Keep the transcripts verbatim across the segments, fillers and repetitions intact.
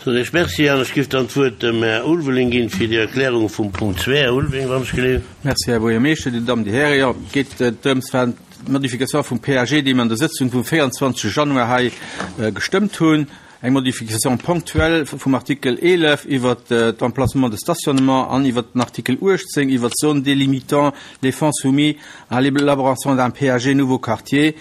Soen ech Merci an ech giff dann d'Wuert dem Här Ulveling ginn fir déi Erklärung vum Punkt zwee. Här Ulveling, wann ech geleeft. Merci, Här Buergermeeschter, Dir Dammen, Dir Hären. Jo, et geet drëms, war d'Modification vum P A G, déi mir an der Sëtzung vum véierundzwanzege Januar hei gestëmmt hunn, eng Modification ponctuelle vum Artikel eelef iwwert d'Emplacement de stationnement an iwwert den Artikel uechtzéng iwwert d'Zone délimitant les fonds soumis à l'élaboration d'un P A G nouveau quartier.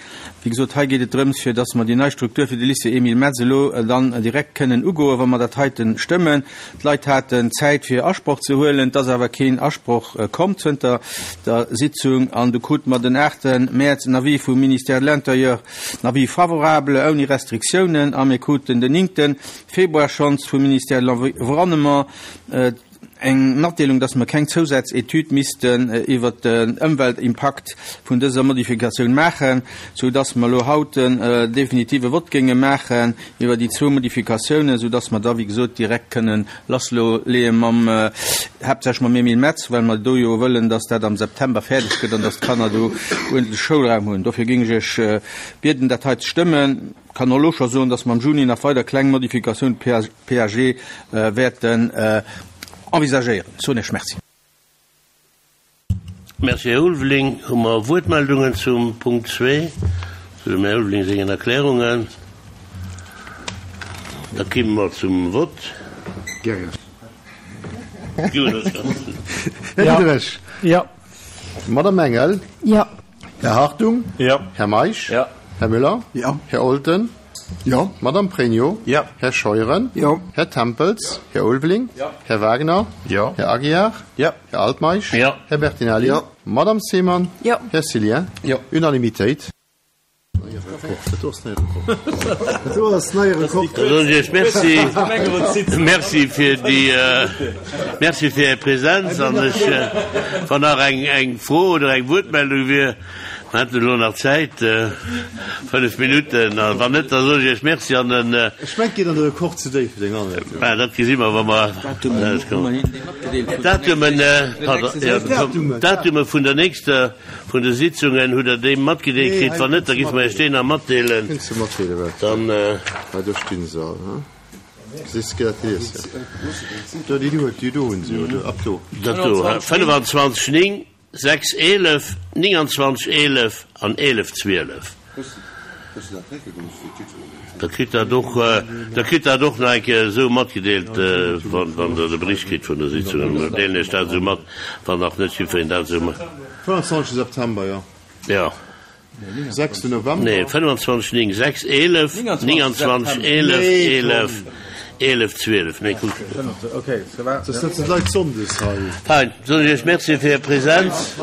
Wéi gesot, hei geet et drëms, fir dass mer déi nei Struktur fir de Lycée Emile Metz elo dann direkt kënnen ugoen, wa mer dat heiten stëmmen. D'Leit haten Zäit fir Asproch ze huelen, et ass awer keen Asproch komm zënter der Sitzung an du krute mer den aachte Mäerz en Avis vum Ministère de l'Intérieur, en Avis favorable ouni Restriktiounen, a mir kruten den néngte Februar schonns vum Ministère de l'Environnement eng Matdeelung, dass mer keng Zousazetüd missten iwwert den Ëmweltimpakt vun dëser Modifikatioun maachen, sou dass mer elo haut en definitive Vott géinge maachen iwwer déi zwou Modifikatiounen, sou dass mer da, wéi gesot, direkt kënnen lassleeë mam, haaptsächlech mam Emile Metz, well mer do jo wëllen, dass dat am September fäerdeg gëtt an dass d'Kanner do uerdentlech Schoulraum hunn. Dofir géing ech Iech bieden, dat hei ze stëmmen. Kann och elo scho soen, dass mer am Juni nach weider kleng Modifikatiounen P A G wäerten envisagéieren. Soen ech Merci. Merci, Här Ulveling. Hu mer Wuertmeldungen zum Punkt zwee, zu dem Här Ulveling sengen Erklärungen? Da kimme mer zum Vott. Här Diderich. Jo. Madame Engel. Jo. Här Hartung. Jo. Här Meisch. Jo. Här Müller. Jo. Här Olten. Jo. Madame Pregno. Jo. Här Scheuren. Jo. Här Tempels. Här Ulveling. Jo. Här Wagner. Jo. Här Aguiar. Jo. Här Altmeisch. Jo. Här Bertinelli. Jo. Madame Seemann. Jo. Här Cillien. Jo. Unanimitéit. Soen ech Merci. Merci fir déi, Merci fir Är Präsenz an ech, wann nach eng eng Fro oder eng Wuertmeldung wier, mer hätten elo nach Zäit, fënnef Minutten, a wann net, da soen ech Iech Merci an en Ech mengt, geet an de Rekord ze déif fir deng Anleitung. Mä dat gesi mer, wa mer Datumen, pardon, jo, d'Datume vun der nächster vun de Sitzungen hutt Der déi matgedeelt kritt? Wann net, da giffe mer Iech déi nach matdeelen. Kënns de matdeelen, wat? Dann. Hei, do stinn se all, he? Gesiss de, dat lies de. Do, déi do, déi do hunn se jo, do, ab do. Dat do, he? fënnefenzwanzeg néng, sechs eelef, nénganzwanzeg eelef an eelef zwielef. Da kritt dat och, da kritt dat och nach eng Kéier esou matgedeelt, wann, wann Der de Bericht kritt vun der Sitzung. Dann deelen ech dat esou mat, wann nach net jiddwereen dat esou mat. fënnefenzwanzeg September, jo. Jo. sechsten November. Nee, fënnefenzwanzeg néng, sechs eelef, nénganzwanzeg eelef, eelef, eelef zwielef. Nee, kuck. Da sëtzen d'Leit sonndes hei. Fein, soen ech Iech Merci fir Är Präsenz.